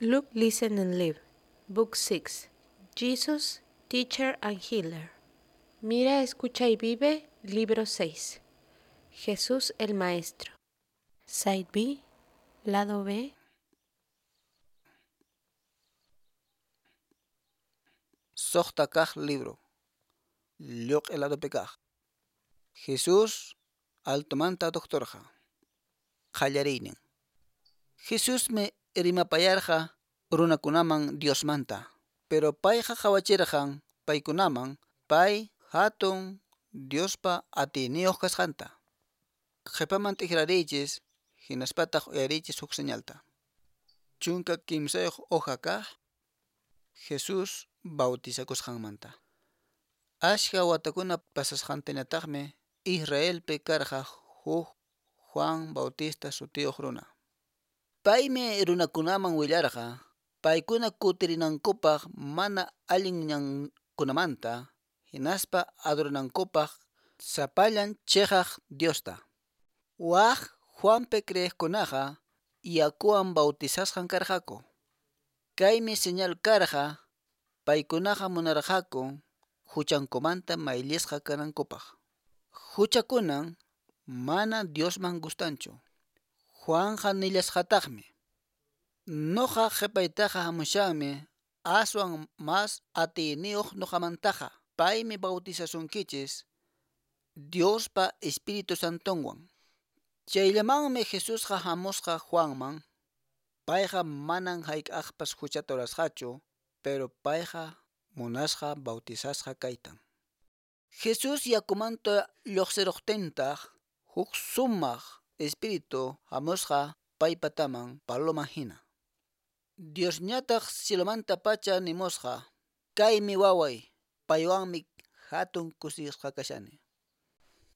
Look, Listen and Live, Book 6. Jesus, Teacher and Healer. Mira, escucha y vive, Libro 6. Jesús el Maestro. Side B, lado B. Suqta kaq libro. Lluq'i ladopi kaq. Jesús altomanta doctorqa. Qallariynin. Jesusmi rimapayarqa runakunaman Diosmanta, pero payqa qhawachirqan paykunaman pay hatun Diospa atiyniyuq kasqanta. Qhipaman t'ikrariychis hinaspataq uyariychis huk señalta. 13 hoja kaq Jesús bautizakusqanmanta. Ashka watakuna pasasqantañataqmi Israelpi karqa huk Juan Bautista sutiyuq runa. Paymi runakunaman willarqa paykuna kutirinankupaq mana allin ñankunamanta hinaspa adoranankupaq sapallan chiqaq Diosta. Wak Juanpi creeqkunaqa yakuwan bautizasqan karqaku. Kaymi señal karqa paykunaqa munarqaku huchankumanta mayllisqa kanankupaq. Huchakunan mana Diosman gustanchu. Juanqa nillasqataqmi: Nuqa qhipaytaqa hamushanmi aswan mas atiyniyuq nuqamantaqa. Paymi bautizasunkichis Diospa Espíritu Santonwan. Chayllamanmi Jesusqa hamusqa Juanman. Payqa manan hayk'aqpas huchata rurasqachu, pero payqa munasqa bautizasqa kaytan. Jesús yakumanta lluqsiruqtintaq huk sumaq Espíritu hamusqa paypataman paloma hina. Diosñataq cielomantapacha nimusqa: Kaymi waway, paywanmi hatun kusisqa kashani.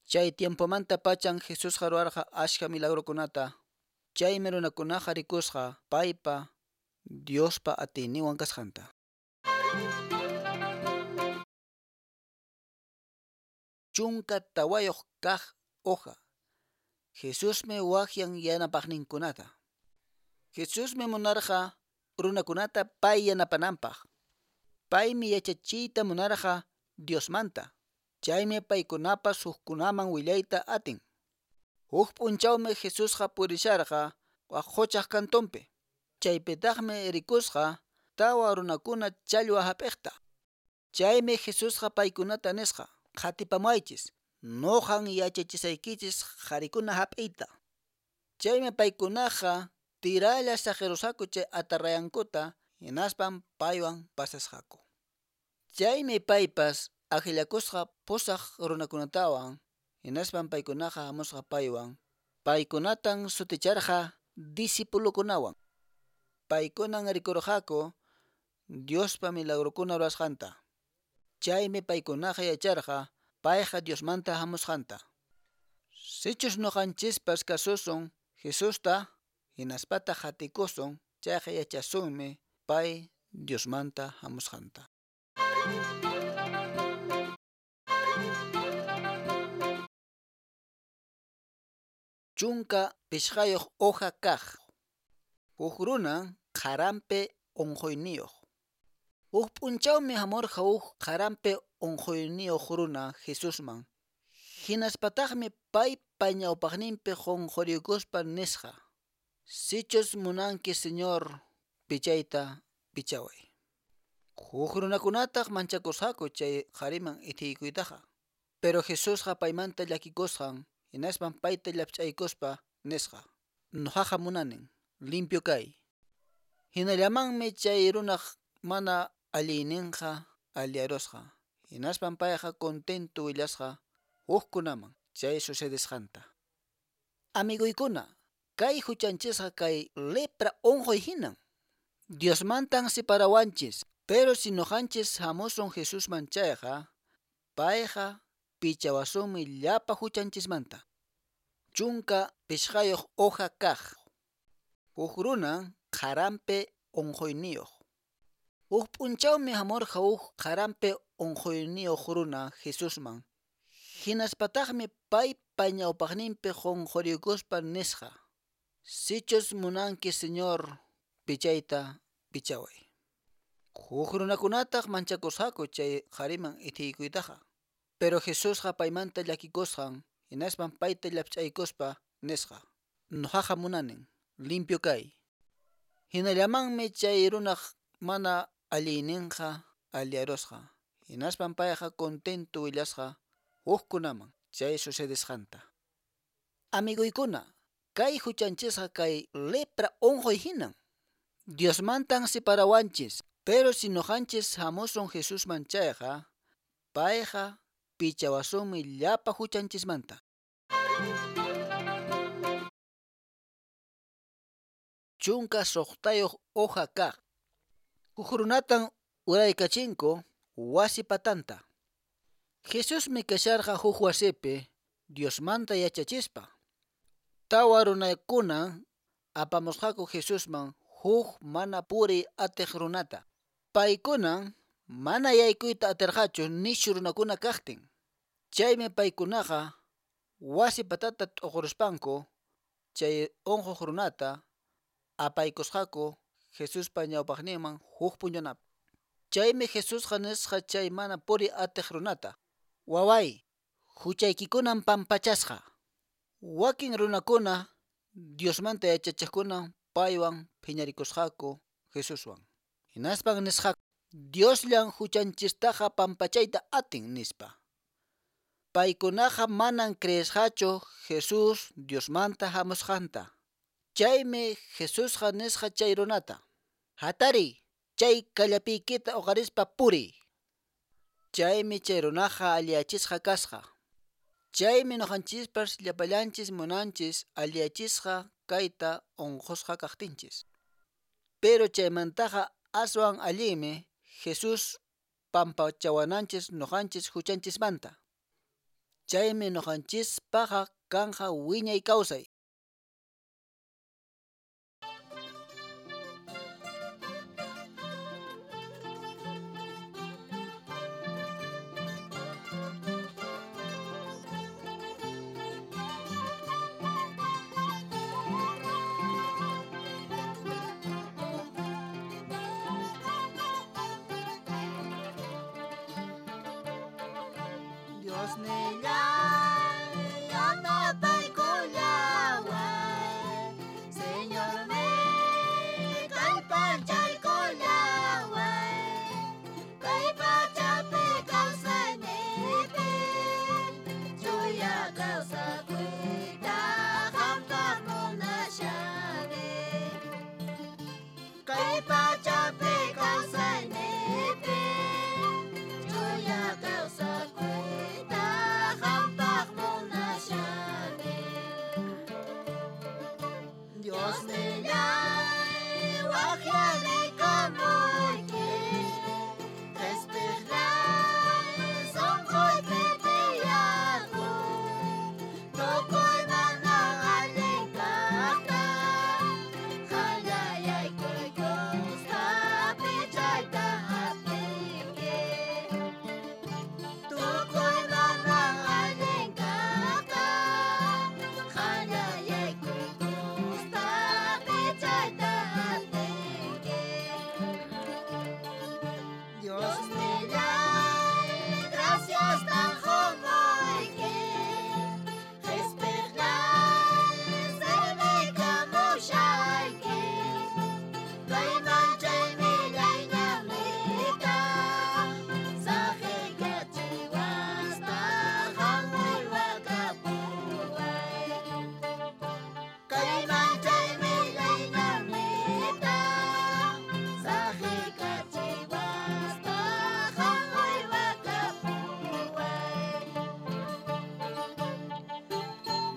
Chay tiempomantapachan Jesusqa ruwarqa ashka milagrokunata. Chaymi runakunaqa rikusqa paypa Diospa atiyninwan kasqanta. 14 kaq hoja. Jesusmi waqyan yanapaqninkunata. Jesusmi munarqa runakunata pay yanapananpaq. Paymi yachachiyta munarqa Diosmanta. Chaymi paykunapas hukkunaman willayta atin. Huk p'unchawmi Jesusqa purisharqa wak quchaq kantunpi. Chaypitaqmi rikusqa tawa runakuna challwa hap'iqta. Chaymi Jesusqa paykunata nisqa: Qhatipamuwaychis, nuqan yachachisaykichis qharikuna hap'iyta. Chaymi paykunaqa tiralla saqirusqaku chay atarrayankuta hinaspan paywan pasasqaku. Chaymi paypas akllakusqa pusaq runakunatawan hinaspan paykunaqa hamusqa paywan. Paykunatan suticharqa discipulukunawan. Paykunan rikurqaku Diospa milagrokuna rurasqanta. Chaymi paykunaqa yacharqa payqa Diosmanta hamusqanta. Sichus nuqanchispas kasusun Jesusta hinaspataq qatikusun chayqa yachasunmi pay Diosmanta hamusqanta. 15 hoja kaq. Huk runan qaranpi unquyniyuq. Huk p'unchawmi hamurqa huk qaranpi unquyniyuq runa Jesusman. Hinaspataqmi paypa ñawpaqninpi qunquriykuspa nisqa: Sichus munanki, Señor, pichayta pichaway. Huk runakunataq manchakusqaku chay qhariman itiykuytaqa. Pero Jesusqa paymanta llakikusqan hinaspan payta llapch'aykuspa nisqa: Nuqaqa munanin, limpio kay. Hinallamanmi chay runaq mana allinninqa alliyarusqa. Hinaspan payqa contento willasqa hukkunaman chay sucedesqanta. Amiguykuna, kay huchanchisqa kay lepra unquy hinan. Diosmantan separawanchis, pero si nuqanchis hamusun Jesusman chayqa, payqa pichawasunmi llapa huchanchismanta. 15 hoja kaq. Huk runan qaranpi unquyniyuq. Huk p'unchawmi hamurqa huk qaranpi unquyniyuq runa Jesusman. Hinaspataqmi paypa ñawpaqninpi qunquriykuspa nisqa: Sichus munanki, Señor, pichayta pichaway. Huk runakunataq manchakusqaku chay qhariman ithiykuytaqa. Pero Jesusqa paymanta llakikusqan, hinaspan payta llapch'aykuspa nisqa: Nuqaqa munanin, limpio kay. Hinallamanmi chay runaq mana allinninqa alliyarusqa. Hinaspan payqa contento willasqa hukkunaman chay sucedesqanta. Amiguykuna, kay huchanchisqa kay lepra unquy hinan. Diosmantan separawanchis, pero si nuqanchis hamusun Jesusman chayqa, payqa pichawasunmi llapa huchanchismanta. 16 hoja kaq. Huk runatan uraykachinku wasi patanta. Jesusmi kasharqa huk wasipi Diosmanta yachachispa. Tawa runakuna apamusqaku Jesusman huk mana puriy atiq runata. Paykunan mana yaykuyta atirqachu nishu runakuna kaqtin. Chaymi paykunaqa wasi patata t'uquruspanku chay unquq runata apaykusqaku Jesuspa ñawpaqninman huk puñunapi. Chaymi Jesusqa nisqa chay mana puriy atiq runata: Waway, huchaykikunan pampachasqa. Wakin runakuna Diosmanta yachachiqkuna paywan phiñarikusqaku Jesuswan. Hinaspan nisqaku: Diosllan huchanchistaqa pampachayta atin, nispa. Paykunaqa manan creesqachu Jesús Diosmanta hamusqanta. Chaymi Jesusqa nisqa chay runata: Hatariy, chay kallapiykita uqarispa puriy. Chaymi chay runaqa alliyachisqa kasqa. Chaymi nuqanchispas llapallanchis munanchis alliyachisqa kayta unqusqa kaqtinchis. Pero chaymantaqa aswan allinmi Jesús pampachawananchis nuqanchis huchanchismanta. Chaymi nuqanchispaqa kanqa wiñay kawsay. Diosnillay, yanapaykullaway, Señorniy, kallpachaykullaway, kay pachapi kawsayniypi, chuya kawsakuyta qampaq munashani. Kay pachapi kawsayniypi, chuya kawsakuyta qampaq munashani. Diosnillay, waqyarikamuyki, qhispiqlay sunquypi tiyakuy, tukuy mana allin kaqta qallayaykukuspa pichayta atinki. Tukuy mana allin kaqta qallayaykukuspa pichayta atinki. Diosnillay, gracias tan qumuyki, qhispiqlay servikamushayki, kayman chay millay ñanniyta saqiykachiwaspa qam uywakapuway. Kayman chay millay ñanniyta saqiykachiwaspa qam uywakapuway.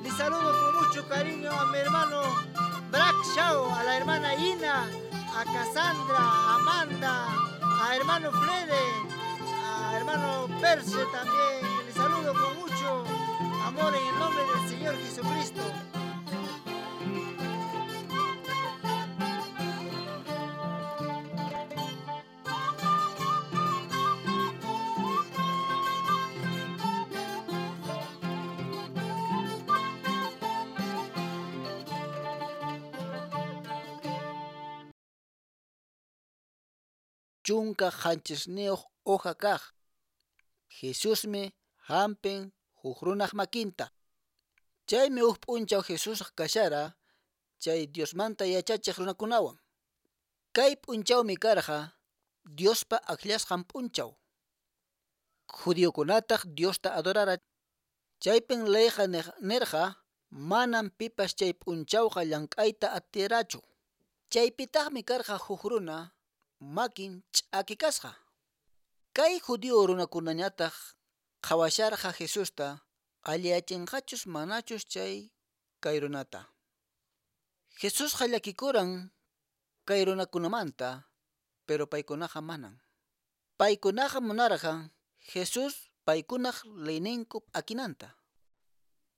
Les saludo con mucho cariño a mi hermano Brack Shaw, a la hermana Ina, a Cassandra, a Amanda, a hermano Flede, a hermano Perse también. Les saludo con mucho amor en el nombre del Señor Jesucristo. 17 hoja kaq. Jesusmi hampin huk runaq makinta. Chaymi huk p'unchaw Jesús kashara chay Diosmanta yachachiq runakunawan. Kay p'unchawmi karqa Diospa akllasqan p'unchaw. Judiokunataq Diosta adorara. Chaypin leyqa nirqa manam pipas chay p'unchawqa llank'ayta atirachu. Chaypitaqmi karqa huk runa makin ch'aki kasqa. Kay judío runakunañataq qhawasharqa Jesusta alliyachinqachus manachus chay kay runata. Jesusqa llakikuran kay runakunamanta, pero paykunaqa manan. Paykunaqa munarqan Jesús paykunaq leyninku p'akinanta.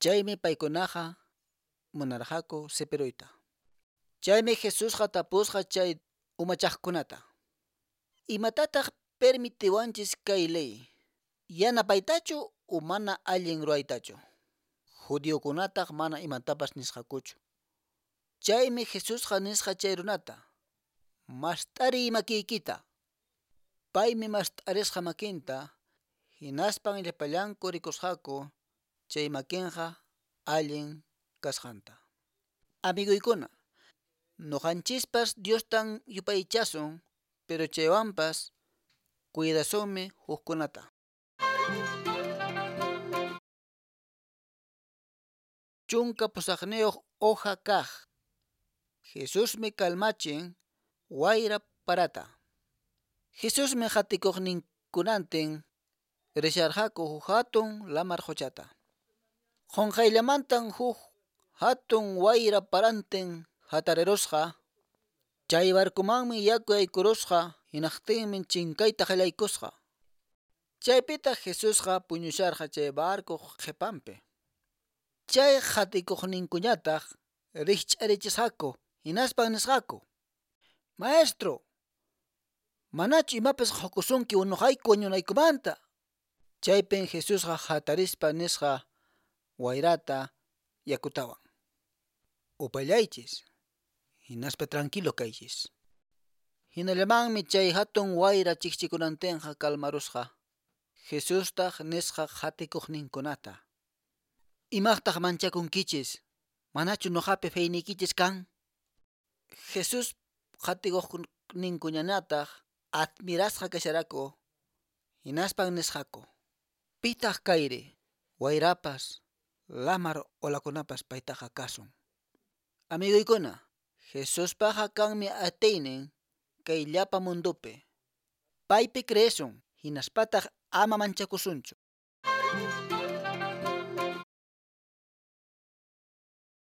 Chaymi paykunaqa munarqaku sipiruyta. Chaymi Jesusqa tapusqa chay umachaqkunata. Imatataq permitiwanchis kay ley? Yanapaytachu o mana allin ruwaytachu? Judiokunataq mana imatapas nisqakuchu. Chaymi Jesusqa nisqa chay runata: Mast'ariy makiykita. Paymi mast'arisqa makinta, hinaspan llapallanku rikusqaku chay makinqa allin kasqanta. Amiguykuna, nuqanchispas Diostan yupaychasun, pero chaywanpas cuidasunmi hukkunata. 18 hoja kaq. Jesusmi kalmachin wayra parata. Jesusmi qatikuqninkunantin risharqaku huk hatun lamar quchata. Qunqayllamantan huk hatun wayra parantin hatarirusqa. Chay barcomanmi yaku yaykurusqa hinaqtinmi chinkayta qallaykusqa. Chaypitaq Jesusqa puñusharqa chay barcoq qhipanpi. Chay qatikuqninkuñataq rikch'arichisqaku hinaspan nisqaku: Maestro, manachu imapas qukusunki unuqayku wañunaykumanta? Chaypin Jesusqa hatarispa nisqa wayrata yakutawan: Upallaychis, hinaspa tranquilo kaychis. Hinallamanmi chay hatun wayra chikchikunantinqa kalmarusqa. Jesustaq nisqa qatikuqninkunata: Imaqtaq manchakunkichis? Manachu nuqapi feyniykichis kan? Jesús qatikuqninkuñataq admirasqa kasharaku, hinaspan nisqaku: Pitaq kayri? Wayrapas, lamar olakunapas paytaqa kasun. Amiguykuna, Jesuspaqa kanmi atiynin kay llapa mundupi. Paypi creesun, hinaspataq ama manchakusunchu.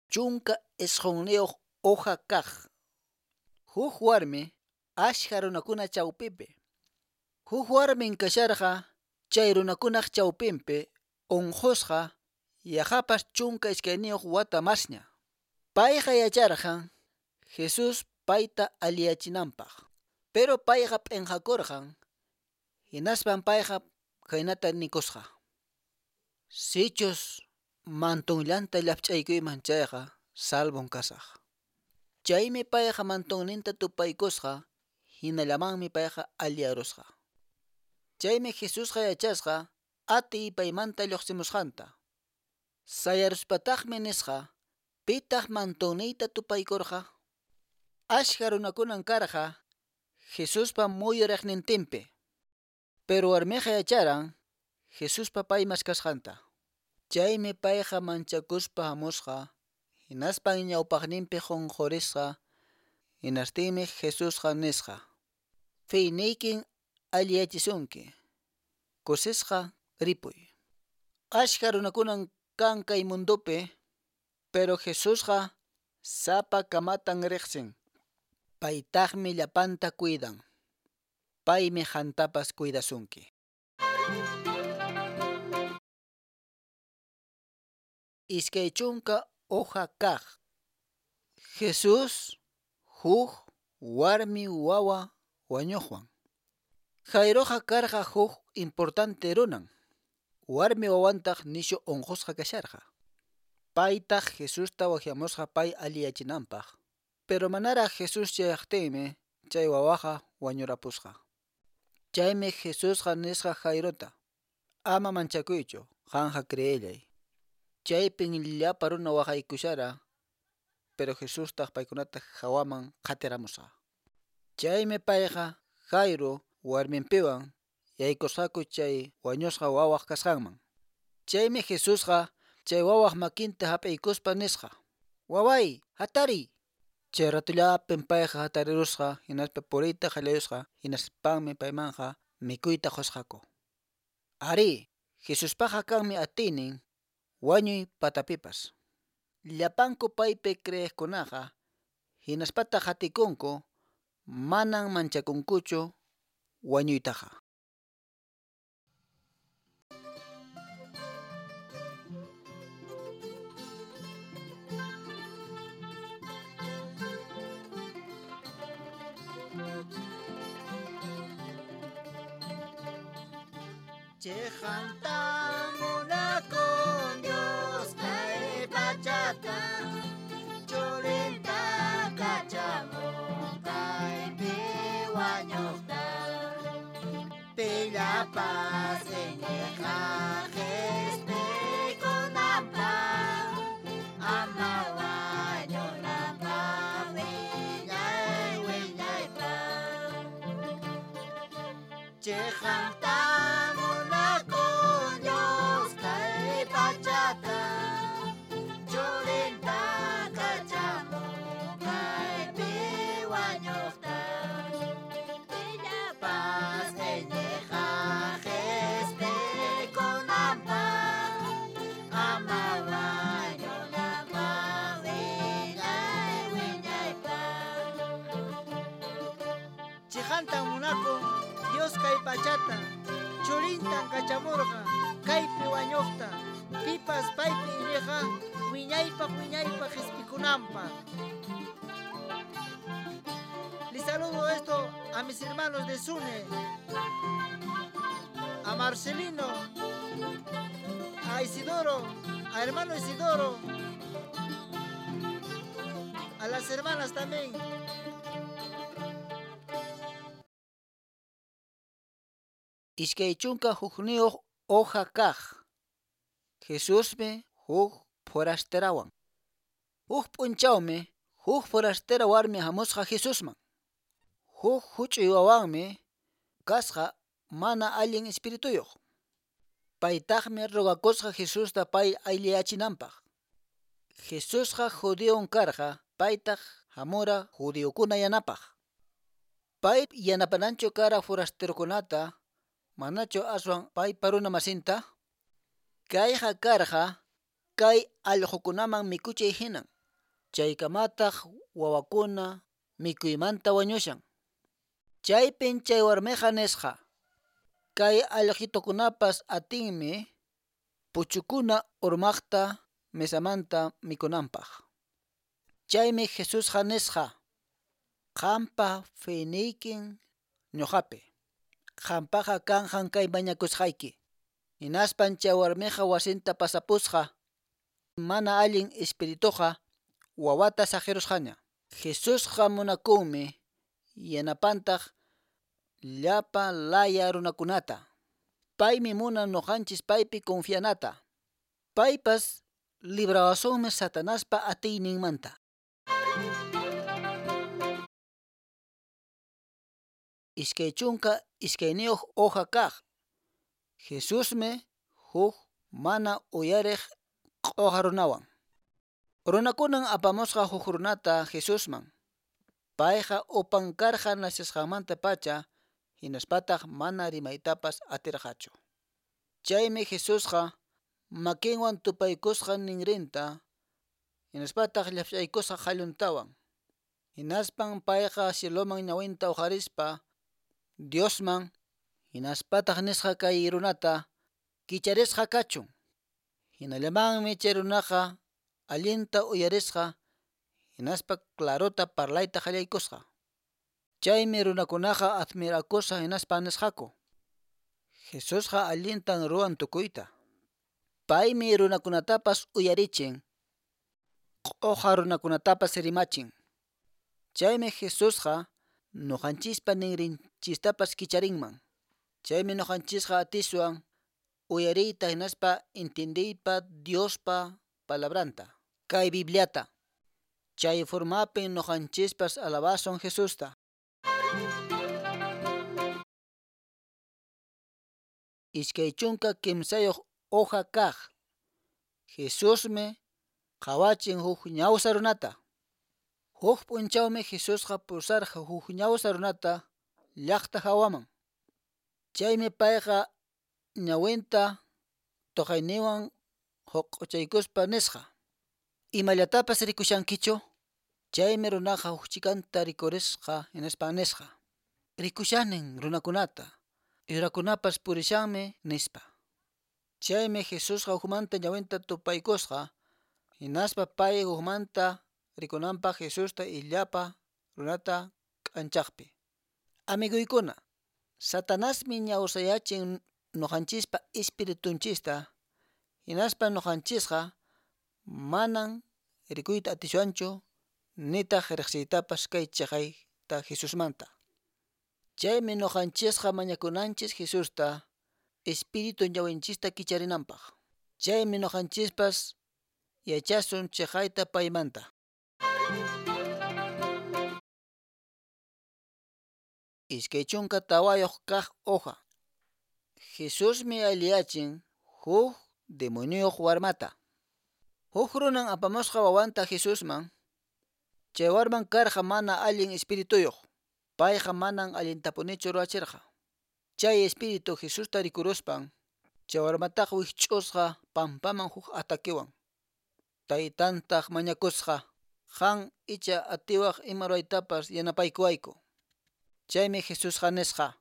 19 hoja kaq. Huk warmi ashka runakuna chawpipi. Huk warmin kasharqa chay runakunaq chawpinpi unqusqa yaqapas 12 wata masña. Payqa yacharqan Jesús payta alliyachinanpaq. Pero payqa p'inqakurqan, hinaspan payqa khaynata nikusqa: Sichus mantonllanta llapch'aykuyman chayqa salvon kasaq. Chaymi payqa mantonninta tupaykusqa, hinallamanmi payqa alliyarusqa. Chaymi Jesusqa yachasqa atiy paymanta lluqsimusqanta. Sayaruspataqmi nisqa: Pitaq mantonniyta tupaykurqa? Ashka runakunan karqa Jesuspa muyuriqnintinpi. Pero warmiqa yacharan Jesuspa pay maskasqanta. Chaymi payqa manchakuspa hamusqa, hinaspan ñawpaqninpi qunqurisqa, hinastinmi Jesusqa nisqa: Feyniykin alliyachisunki, kusisqa ripuy. Ashka runakunan kan kay mundupi, pero Jesusqa sapa kamatan riqsin. Paytaqmi llapanta cuidan. Paymi qantapas cuidasunki. 20 hoja kaq. Jesús huk warmi wawa wañuqwan. Jairoqa karqa huk importante runan. Warmi wawantaq nishu unqusqa kasharqa. Paytaq Jesusta waqyamusqa pay alliyachinanpaq. Pero manaraq Jesús chayaqtinmi chay wawaqa wañurapusqa. Chaymi Jesusqa nisqa Jairota: Ama manchakuychu, qanqa creellay. Chaypin llapa runa waqaykushara, pero Jesustaq paykunata hawaman qatiramusqa. Chaymi payqa Jairo warminpiwan yaykusqaku chay wañusqa wawaq kasqanman. Chaymi Jesusqa chay wawaq makinta hap'iykuspa nisqa: Waway, hatariy! Chay ratullapin payqa hatarirusqa, hinaspa puriyta qallayusqa, hinaspanmi paymanqa mikuyta qusqaku. Arí, Jesuspaqqa kanmi atiynin wañuy patapipas. Llapanku paypi creeqkunaqa hinaspataq qatikunku, manan manchakunkuchu wañuytaqa. Chiqanta munakun Dios kay pachata, churinta kachamun kaypi wañuqta. Pillapas iñiqqa qispikunanpaq, ama wañunanpaq wiñay wiñaypaq. Chiqanta munakun Dios kay pachata, churinta kachamun kaypi wañuqta. Pillapas iñiqqa qispikunanpaq, ama wañunanpaq wiñay wiñaypaq. Chiqantan munakun Dios kay pachata, churintan kachamurqa kaypi wañuqta, pipas paypi iñiqqa wiñaypaq wiñaypaq qispikunanpaq. Les saludo esto a mis hermanos de Sune, a Marcelino, a Isidoro, a hermano Isidoro, a las hermanas también. 21 hoja kaq. Jesusmi huk forasterawan. Huk p'unchawmi huk forastera warmi hamusqa Jesusman. Huk huch'uy wawanmi kasqa mana allin espirituyuq. Paytaqmi rogakusqa Jesusta pay aylliyachinanpaq. Jesusqa judíon karqa, paytaq hamura judíokuna yanapaq. Pay yanapananchu kara forasterokunata, manachu aswan paypa runa masinta? Kayqa karqa kay allqukunaman mikuchiy hinan. Chaykamataq wawakuna mikuymanta wañushan. Chaypin chay warmiqa nisqa: Kay allqitukunapas atinmi puchukuna urmaqta mesamanta mikunanpaq. Chaymi Jesusqa nisqa: Qampa feyniykin ñuqapi. Qampaqqa kanqan kay mañakusqayki. Hinaspan chay warmiqa wasinta pasapusqa. Mana allin espirituqa wawata saqirusqaña. Jesusqa munakunmi yanapantaq llapa laya runakunata. Paymi munan ñuqanchis paypi confianata. Paypas librawasunmi Satanaspa atiyninmanta. 22 hoja kaq. Jesusmi huk mana uyariq q'uqa runawan. Runakunan apamusqa huk runata Jesusman. Payqa upan karqa nacesqanmanta pacha, hinaspataq mana rimaytapas atirqachu. Chaymi Jesusqa makinwan tupaykusqa ninrinta, hinaspataq llapchaykusqa qalluntawan. Hinaspan payqa cieloman ñawinta uqarispa Diosman, hinaspataq nisqa kay runata kicharisqa kachun. Hinallamanmi chay runaqa allinta uyarisqa, hinaspa clarota parlayta qallaykusqa. Chaymi runakunaqa admirakusqa hinaspa nisqaku: Jesusqa allintan ruwan tukuyta. Paymi runakunatapas uyarichin, q'uqa runakunatapas rimachin. Chaymi Jesusqa ñuqanchispa ninrinchistapas kicharinman. Chaymi ñuqanchisqa atiswan uyariyta hinaspa intindiypa Diospa palabranta, kay Bibliata. Chay formapin ñuqanchispas alabasun Jesusta. 23 hoja kaq. Jesusmi qhawachin huk ñawsa runata. Huk p'unchawmi Jesusqa pusarqa huk ñawsa runata llaqta hawaman. Chaymi payqa ñawinta tuqayninwan huq'uchaykuspa nisqa: Imallatapas rikushankichu? Chaymi runaqa huk chikanta rikurisqa hinaspa nisqa: Rikushanin runakunata, yurakunapas purishanmi, nispa. Chaymi Jesusqa hukmanta ñawinta tupaykusqa, hinaspa pay hukmanta rikunanpaq Jesusta illapa runata k'anchaqpi. Amiguykuna, Satanasmi ñawsayachin ñuqanchispa espiritunchista, hinaspa ñuqanchisqa manan rikuyta atiswanchu nitaq riqsiytapas kay chiqayta Jesusmanta. Chaymi ñuqanchisqa mañakunanchis Jesusta espíritu ñawinchista kicharinanpaq. Chaymi ñuqanchispas yachasun chiqayta paymanta. 24 kaq hoja. Jesusmi alliyachin huk demoniyuq warmata. Huk runan apamusqa wawanta Jesusman. Chay warman karqa mana allin espirituyuq. Payqa manan allintapunichu ruwachirqa. Chay espíritu Jesusta rikuruspan, chay warmataqa wikch'usqa pampaman huk atakiwan. Taytantaq mañakusqa: Qan icha atiwaq ima ruwaytapas yanapaykuwayku. Chaymi Jesusqa nisqa: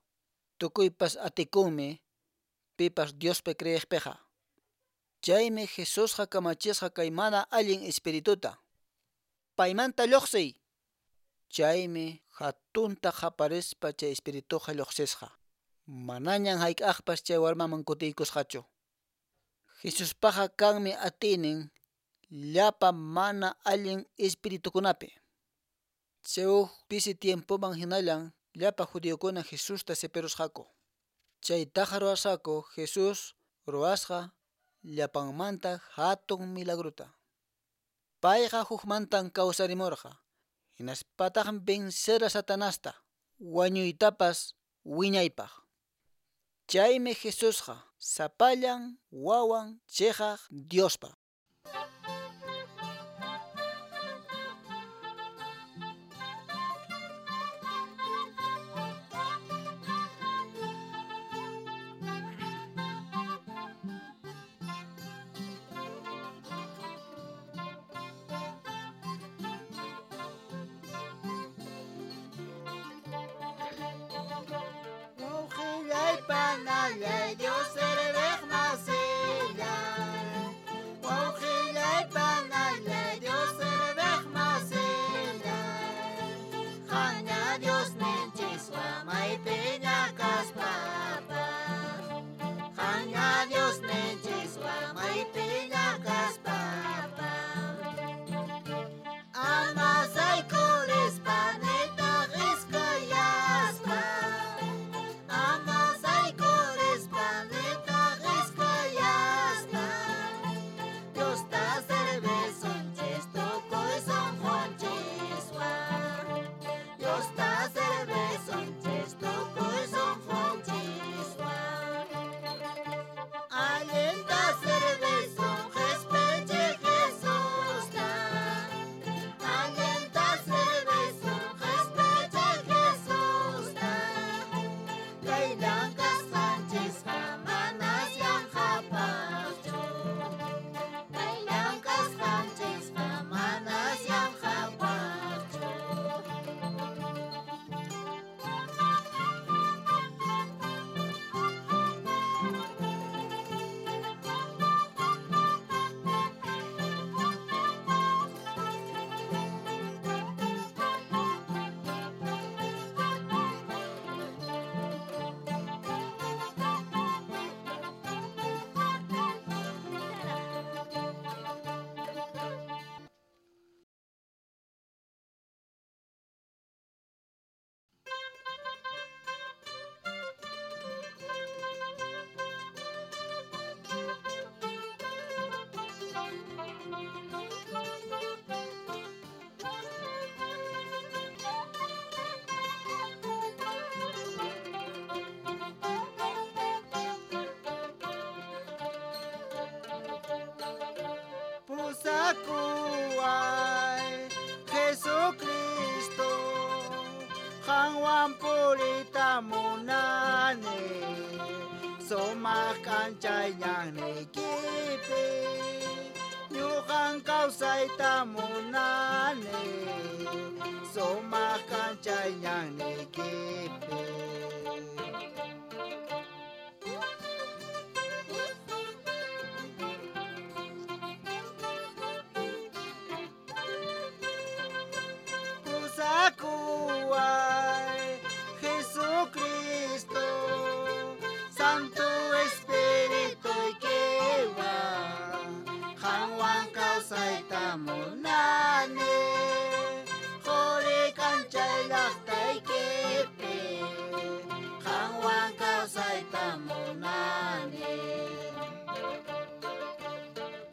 Tukuypas atikunmi pipas Diospi creeqpiqa. Chaymi Jesusqa kamachisqa kay mana allin espirituta: Paymanta lluqsiy. Chaymi hatunta qaparispa chay espirituqa lluqsisqa. Manañan hayk'aqpas chay warmaman kutiykusqachu. Jesuspaqa kanmi atiynin llapa mana allin espiritukunapi. Chay huk pisi tiempoman hinallan llapa judiokuna Jesusta sipirusqaku. Chaytaqa ruwasqaku Jesús ruwasqa llapanmanta hatun milagrota. Payqa hukmantan kawsarimurqa, hinaspataqmi vencera Satanasta, wañuytapas wiñaypaq. Chaymi Jesusqa sapallan wawan chiqaq Diospa. Panallay Dios serviq masillay, wawqillay panallay Dios serviq masillay, qanña Dios ninchiswan maypiña kaspapas, qanña Dios ninchiswan maypiña kaspapas, ama saykurispa nitaq iskayaspa, ama saykurispa nitaq iskayaspa. Pusakuway Jesucristo, qanwan puriyta munani, sumaq k'anchay ñanniykipi, ñuqan kawsayta munani, sumaq k'anchay ñanniykipi. Pusakuway Jesucristo, Santo Espirituykiwan, qanwan kawsayta munani, quri k'anchay llaqtaykipi, qanwan kawsayta munani.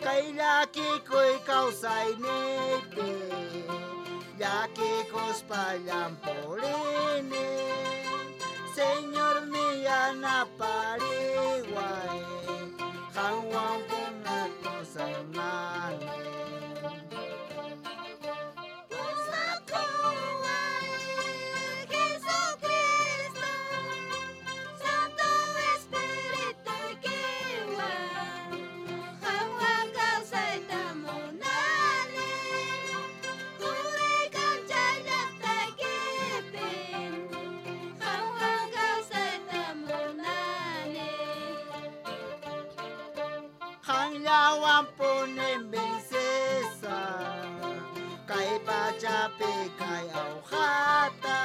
Kay llakikuy kawsayniypi, llakikuspa purini, Señor yanapariway, qanwan punakusanani. Pusakuway Jesucristo, Santo Espirituykiwan, qanwan kawsayta munani, quri k'anchay llaqtaykipi, qanwan kawsayta munani. Qanllawan punin vencesaq, kay pachapi kay awqata.